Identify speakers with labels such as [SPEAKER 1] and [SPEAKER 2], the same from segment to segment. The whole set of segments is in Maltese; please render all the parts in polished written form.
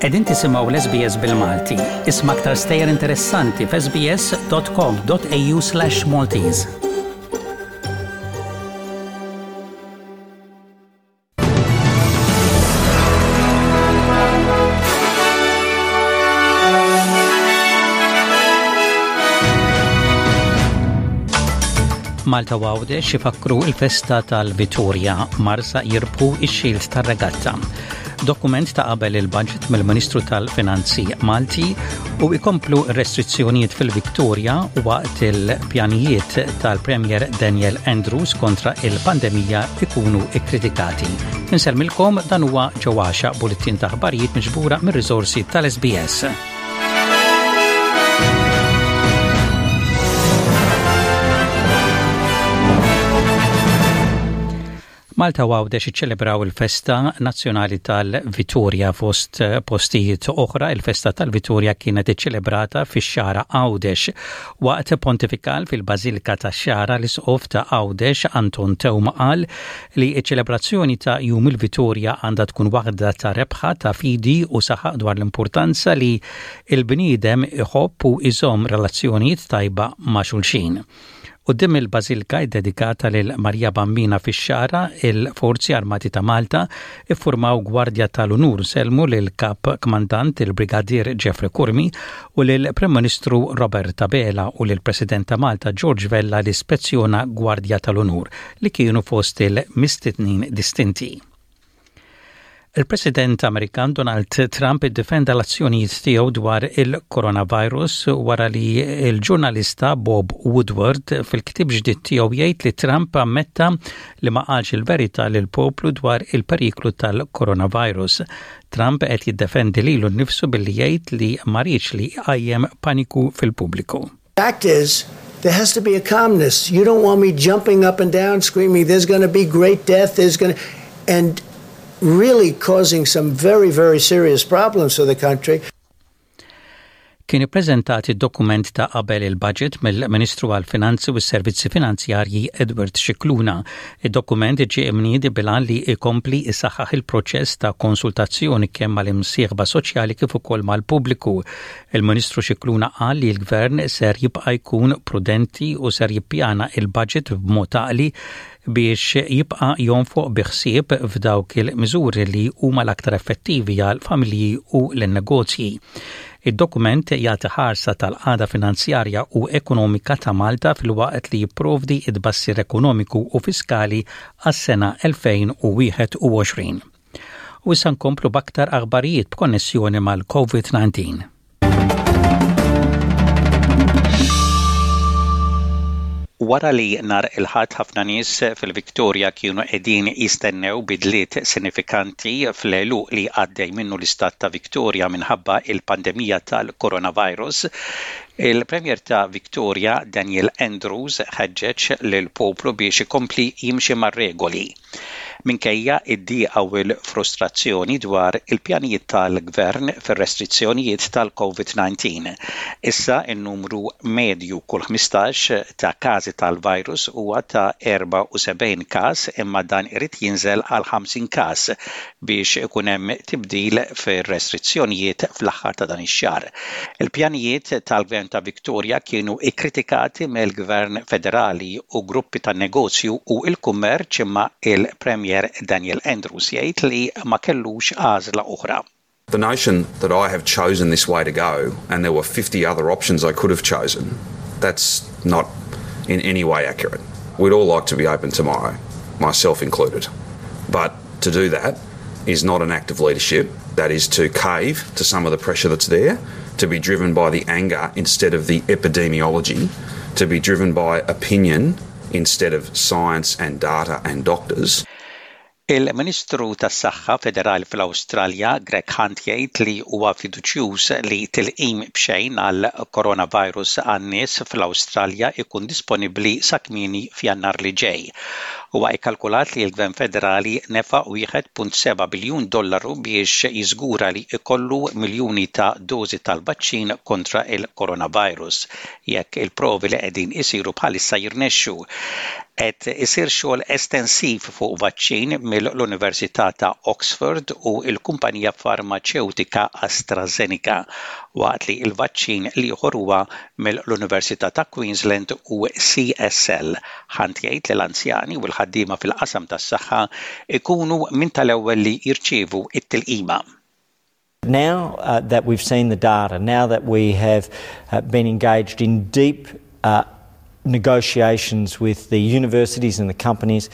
[SPEAKER 1] Qegħdin tisimgħu l-SBS bil-Malti. Isma' aktar stejjer interessanti f'sbs.com.au/Maltese. Malta u Għawdex ifakkru il-festa tal-Vitorja, Marsa jirbħu ix-xild tar-regatta. Dokument ta' qabel il-budget mill-Ministru tal-Finanzi Malti u ikomplu restrizzjonijiet fil-Victoria waqt il-pjanijiet tal-Premier Daniel Andrews kontra il-pandemija ikunu ikkritikati. Insellmilkom dan huwa ġewwaxa bulletin ta' aħbarijiet miġbura mir-riżorsi tal-SBS. Malta u Għawdex iċċelebraw il-festa nazzjonali tal-Vitorja fost postijiet oħra. Il-festa tal-Vitorja kienet iċċelebrata fix-Xagħra Għawdex. Waqt pontifikal fil-Bażilika tax-Xagħra l-Isqof ta' Għawdex Anton Teuma qal li ċ-ċelebrazzjoni ta' Jum il-Vitorja għandha tkun waħda ta' rebħa ta' fidi u saħaq dwar l-importanza li l-bniedem iħobb u jżomm relazzjonijiet tajba ma' xulxin. Quddiem il-Bażilka ddedikata lil Marija Bambina fix-Xagħra, il-Forzi Armati ta' Malta iffurmaw Gwardja tal-Unur sellmu lill-Kap Kmandant il-Brigadier Jeffrey Curmi u lill-Prim Ministru Robert Abela u lill-President ta' Malta George Vella li spezzjona Gwardja tal-Unur li kienu fost il-mistednin distinti. Il-President Amerikan Donald Trump iddefenda l-azzjonijiet tiegħu dwar il-coronavirus wara li l-ġurnalista Bob Woodward fil-ktieb ġdid tiegħu jgħid li Trump ammetta li ma qalx il-verità lill-poplu dwar il-periklu tal-coronavirus. Trump qed jiddefendi lilu nnifsu billi jgħid li ma riedx li jqajjem paniku fil-pubbliku.
[SPEAKER 2] Fact is, there has to be a calmness. You don't want me jumping up and down screaming, there's going to be great death, there's going to, and really causing some very, very serious problems for the country.
[SPEAKER 1] Kien ippreżentat id-dokument ta' qabel il-budget mill-Ministru għall-Finanzi u s-Servizzi Finanzjarji Edward Scicluna. Id-dokument ġie imniedi bil-għan li jkompli jsaħħaħ il-proċess ta' konsultazzjoni kemm mal-imsieħba soċjali kif ukoll mal-pubbliku. Il-Ministru Scicluna qal li l-Gvern ser jibqa' jkun prudenti u ser jippjana il-budget b'mod għaqli biex jibqa' jonfoq bi ħsieb f'dawk il-miżuri li huma l-aktar effettivi għal familji u lin-negozji. Id-dokument jagħti ħarsa tal-qagħda finanzjarja u ekonomika ta' Malta filwaqt li jipprovdi t-tbassir ekonomiku u fiskali għas-sena 2021. U issa nkomplu b'aktar aħbarijiet b'konnessjoni mal-COVID-19. Wara li nhar il-Ħadd ħafna nies fil-Victoria kienu qegħdin jistennew bidliet sinifikanti fl-għeluq li għaddej minnu l-istat ta' Victoria minħabba il-pandemija tal-coronavirus, il-Premier ta' Victoria Daniel Andrews ħeġġeġ lill-poplu biex ikompli jimxi mar-regoli. Minkejja d-dieqa u l-frustrazzjoni dwar il-pjanijiet tal-Gvern fir-restrizzjonijiet tal-Covid 19, issa n-numru medju kull 15 ta' każi tal-virus huwa ta' 74 każ imma dan irid jinżel għal 50 każ biex ikun hemm tibdil fir-restrizzjonijiet fl-aħħar ta' dan ix-xahar. Il-pjanijiet tal-Gvern ta' Victoria kienu kkritikati mill-Gvern Federali u gruppi tan-negozju u l-kummerċ imma il-Premier Daniel Andrews jgħid li ma kellux għażla oħra.
[SPEAKER 3] The notion that I have chosen this way to go and there were 50 other options I could have chosen, that's not in any way accurate. We'd all like to be open tomorrow, myself included. But to do that is not an act of leadership. That is to cave to some of the pressure that's there, to be driven by the anger instead of the epidemiology, to be driven by opinion instead of science and data and doctors.
[SPEAKER 1] Il-Ministru tas-Saħħa Federali fl-Awstralja, Greg Hunt jgħid li huwa fiduċjuż li tilqim b'xejn għal coronavirus għan-nies fl-Awstralja jkun disponibbli sa kmieni f'Jannar li ġej. Huwa kkalkulat li l-Gvern Federali nefaq 1.7 biljun dollaru biex jiżgura li jkollu miljuni ta' dożi tal-vaċċin kontra il-coronavirus jekk il-provi li qegħdin isiru bħalissa jirnexxu. Qed isir xogħol estensiv fuq vaċċin mill-Università ta' Oxford u l-kumpanija farmaċewtika AstraZeneca, waqt li l-vaċċin l-ieħor huwa mill-Università ta' Queensland u CSL. Hunt jgħid li l-anzjani u l-ħaddiema fil-qasam tas-saħħa jkunu minn tal-ewwel li jirċievu t-tilqima.
[SPEAKER 4] Now uh, that we've seen the data, now that we have uh, been engaged in deep uh, negotiations with the universities and the companies,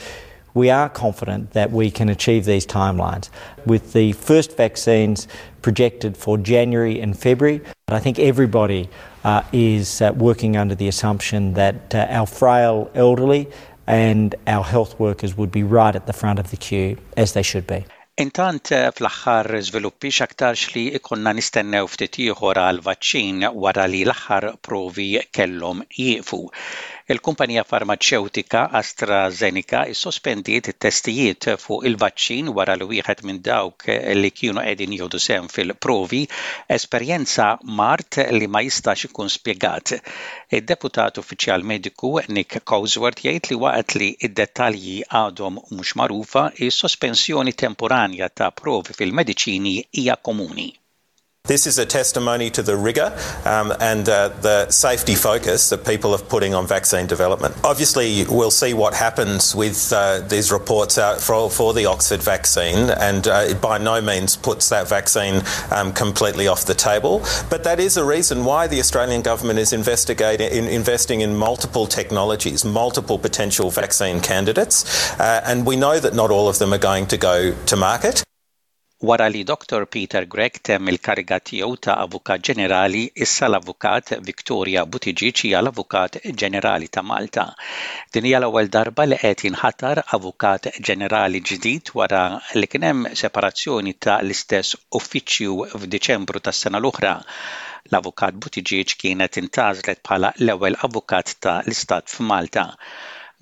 [SPEAKER 4] we are confident that we can achieve these timelines. With the first vaccines projected for January and February, I think everybody uh, is uh, working under the assumption that uh, our frail elderly and our health workers would be right at the front of the queue, as they should be.
[SPEAKER 1] Intant, fl-aħħar żviluppi x'aktarx li jkollna nistennew ftit ieħor għal vaċċin wara li l-aħħar provi kellhom jieqfu. Il-kumpanija farmaċewtika AstraZeneca issospendiet it-testijiet fuq il-vaċċin wara li wieħed minn dawk li kienu qegħdin jieħdu sehem fil-provi esperjenza mard li ma jistax ikun spjegat. Id-Deputat Uffiċjal Mediku Nick Cosworth jgħid li waqt li d-dettalji għadhom mhux magħrufa, is-sospensjoni temporanja ta' provi fil-mediċini hija komuni.
[SPEAKER 5] This is a testimony to the rigour um, and uh, the safety focus that people are putting on vaccine development. Obviously, we'll see what happens with uh, these reports out for, for the Oxford vaccine, and uh, it by no means puts that vaccine um, completely off the table. But that is a reason why the Australian government is investigating, in, investing in multiple technologies, multiple potential vaccine candidates, uh, and we know that not all of them are going to go to market.
[SPEAKER 1] Wara li Dottor Peter Grech temm il-kariga tiegħu ta' Avukat Ġenerali, issa l-Avukat Victoria Buttigieg hija l-Avukat Ġenerali ta' Malta. Din hija l-ewwel darba li qed jinħatar Avukat Ġenerali ġdid wara li kien hemm separazzjoni ta' l-istess uffiċċju f'Diċembru tas-sena l-oħra. L-Avukat Buttigieg kienet intgħażlet bħala l-ewwel Avukat ta' l-Istat f'Malta.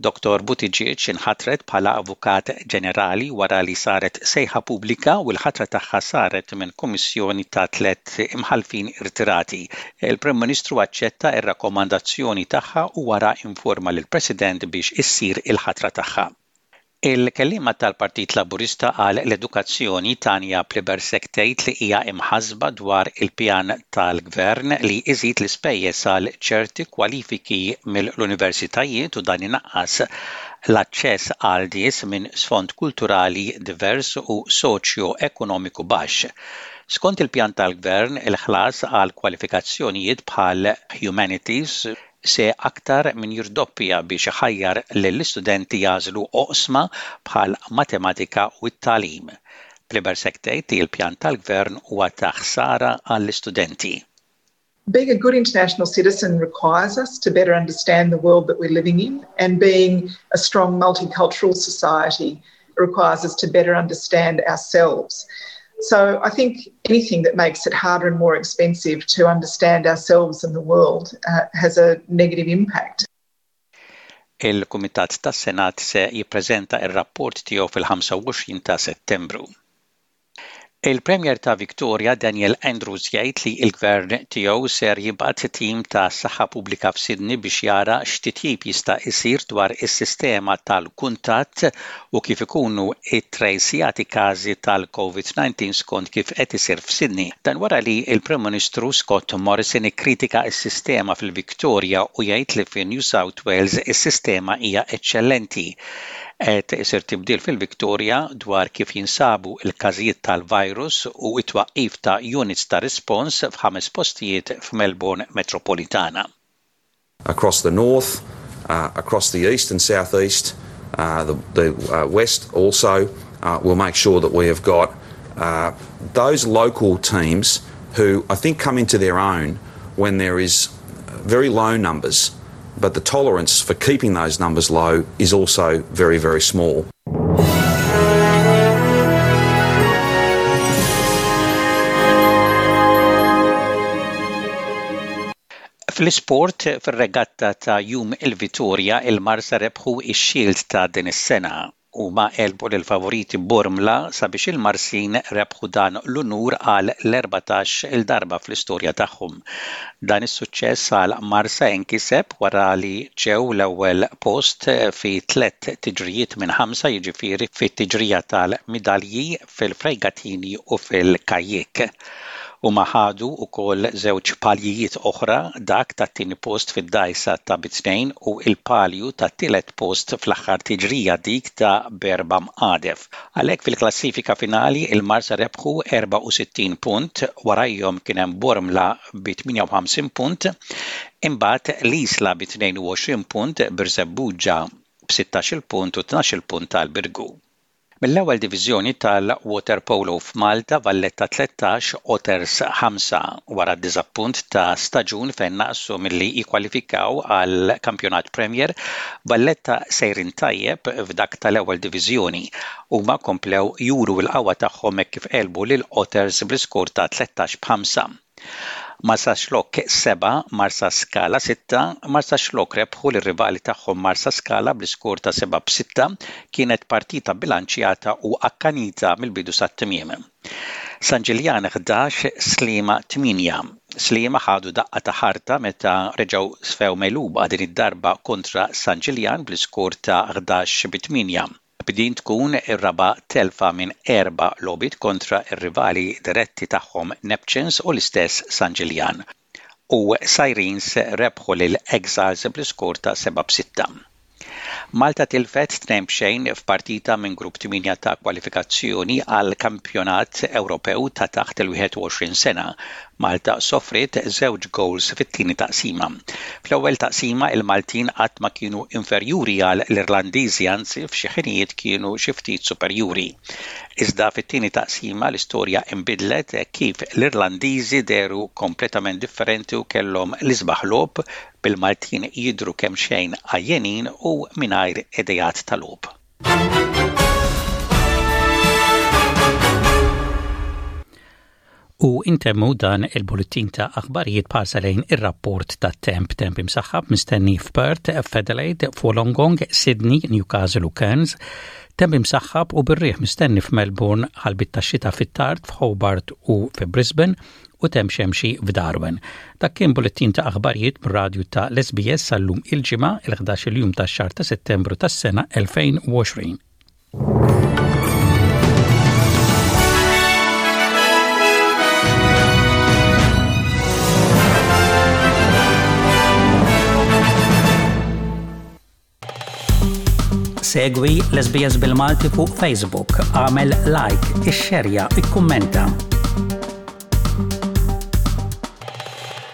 [SPEAKER 1] Dottor Buttigieg inħatret bħala Avukat Ġenerali wara li saret sejħa pubblika u l-ħatra tagħha saret minn kummissjoni ta' tlett imħallfin irtirati. Il-Prim Ministru aċċetta r-rakkomandazzjoni tagħha u wara informa lill-President biex issir il-ħatra tagħha. Il-kelliema tal-Partit Laburista għal l-Edukazzjoni Tanya Plibersek tgħid li hija imħassba dwar il-pjan tal-Gvern li iżid l-ispejjeż għal ċerti kwalifiki mill-universitajiet u dan inaqqas l-aċċess għal nies minn sfond kulturali divers u soċjo-ekonomiku baxx. Skont il-pjan tal-Gvern, il-ħlas għal kwalifikazzjonijiet bħal Humanities se aktar minn jirdoppja biex iħajjar lill-istudenti jagħżlu oqsma bħal matematika u t-tagħlim. Plibersek tgħid li l-pjan tal-Gvern huwa ta' ħsara għall-istudenti.
[SPEAKER 6] Being a good international citizen requires us to better understand the world that we're living in, and being a strong multicultural society requires us to better understand ourselves. So I think anything that makes it harder and more expensive to understand ourselves and the world uh, has a negative impact.
[SPEAKER 1] Il-Kumitat tas-Senat se jippreżenta r-rapport tiegħu fil-25 ta' Settembru. Il-Premier ta' Victoria Daniel Andrews jgħid li l-Gvern tiegħu ser jibgħat tim ta' saħħa pubblika f'Sydney biex jara x'titjib jista' jsir dwar is-sistema tal-kuntatt u kif ikunu ttrejsjati każi tal-Covid-19 skont kif qed isir f'Sydney. Dan wara li l-Prim Ministru Scott Morrison ikkritika s-sistema fil-Victoria u jgħid li fi New South Wales is-sistema hija eċċellenti. Qed isir tibdil fil-Victoria dwar kif jinsabu l-każijiet tal-virus u t-twaqqif ta' units ta' rispons f'ħames postijiet f'Melbourne metropolitana.
[SPEAKER 3] Across the north, uh, across the east and southeast, uh, the, the uh, west also, uh, we'll make sure that we have got uh, those local teams who I think come into their own when there is very low numbers, but the tolerance for keeping those numbers low is also very, very small.
[SPEAKER 1] Fl-isport, fir-regatta ta' Jum il-Vitorja, il-Marsa rebħu x-Shield ta' din is-sena. Huma għelbu lill-favoriti Bormla sabiex il-Marsin rebħu dan l-unur għal l-erbatax il darba fl-istorja tagħhom. Dan is-suċċess għal Marsa inkiseb wara li ġew l-ewwel post fi tlett tiġrijiet minn ħamsa jiġifieri fit-tiġrija tal-midalji, fil-frejgatini u fil-kajjik. Huma ħadu wkoll żewġ paljijiet oħra, dak tat-tieni post fid-dgħajsa ta' bi tnejn u l-palju tat-tielet post fl-aħħar tiġrija, dik ta' b'erba' mqadef. Għalhekk fil-klassifika finali il-Marsa rebħu 64 punt, warajhom kien hemm Bormla bi 58 punt, imbagħad l-Isla bi 22 punt, Birżebbuġa b'16-il punt u 12-il punt għal Birgu. Mill-Ewwel Diviżjoni tal-Waterpolo f'Malta, Valletta 13, Otters 5, wara d-diżappunt ta' staġun fejn naqsu milli jikkwalifikaw għall-Kampjonat Premier, Valletta sejrin tajjeb f'dak tal-Ewwel Diviżjoni. Huma komplew juru l-qawwa tagħhom hekk kif għelbu lil Otters bl-iskor ta' 13 b'ħamsa. Marsaxlokk 7, Marsaskala 6, Marsaxlokk rebħu lir-rivali tagħhom Marsaskala bl-iskor ta' 7 b' 6, kienet partita bilanċjata u akkanita mill-bidu sat-tmiem. San Ġiljan 11, Sliema 8, Sliema ħadu daqqa ta' ħarta meta reġgħu sfew megħluba din id-darba kontra San Ġiljan bl-iskor ta' 11 b' 8. B'din tkun ir-raba' telfa minn erba' logħbiet kontra r-rivali diretti tagħhom Neptunes u l-istess San Ġiljan. U Sirens rebħu lil Exiles bl-iskor ta' 7 b' 6. Malta tilfet 2 b'xejn f'partita minn Grupp 8 ta' kwalifikazzjoni għall-Kampjonat Ewropew ta' taħt il-21 sena. Malta sofriet żewġ gowls fit-tieni taqsima. Fl-ewwel taqsima il-Maltin qatt ma kienu inferjuri għal l-Irlandiżi anzi f'xi ħinijiet kienu xi ftit superjuri. Iżda fit-tieni taqsima l-istorja inbidlet hekk kif l-Irlandiżi dehru kompletament differenti u kellhom l-isbaħ logħob bil-Maltin jidhru kemxejn għajjenin u mingħajr ideat ta' logħob. U intemmu dan il-bullettin ta' aħbarijiet b'ħarsa lejn ir-rapport tat-temp. Temp imsaħħab mistenni f'Perth, f'Adelaide, f'Wollongong, Sydney, Newcastle u Cairns. Temp imsaħħab u bir-riħ mistenni f'Melbourne, ħalbit tax-xita fit-tard f'Hobart u fi Brisbane u temp xemxi f'Darwin. Dak kien bullettin ta' aħbarijiet mir-radju ta' l-SBS sal-lum il-Ġimgħa, il-11 il-jum tax-xahar ta' Settembru tas-sena 2020. Segwi l-SBS bil-Malti fuq Facebook, għamel like, ixxerja, ikkummenta.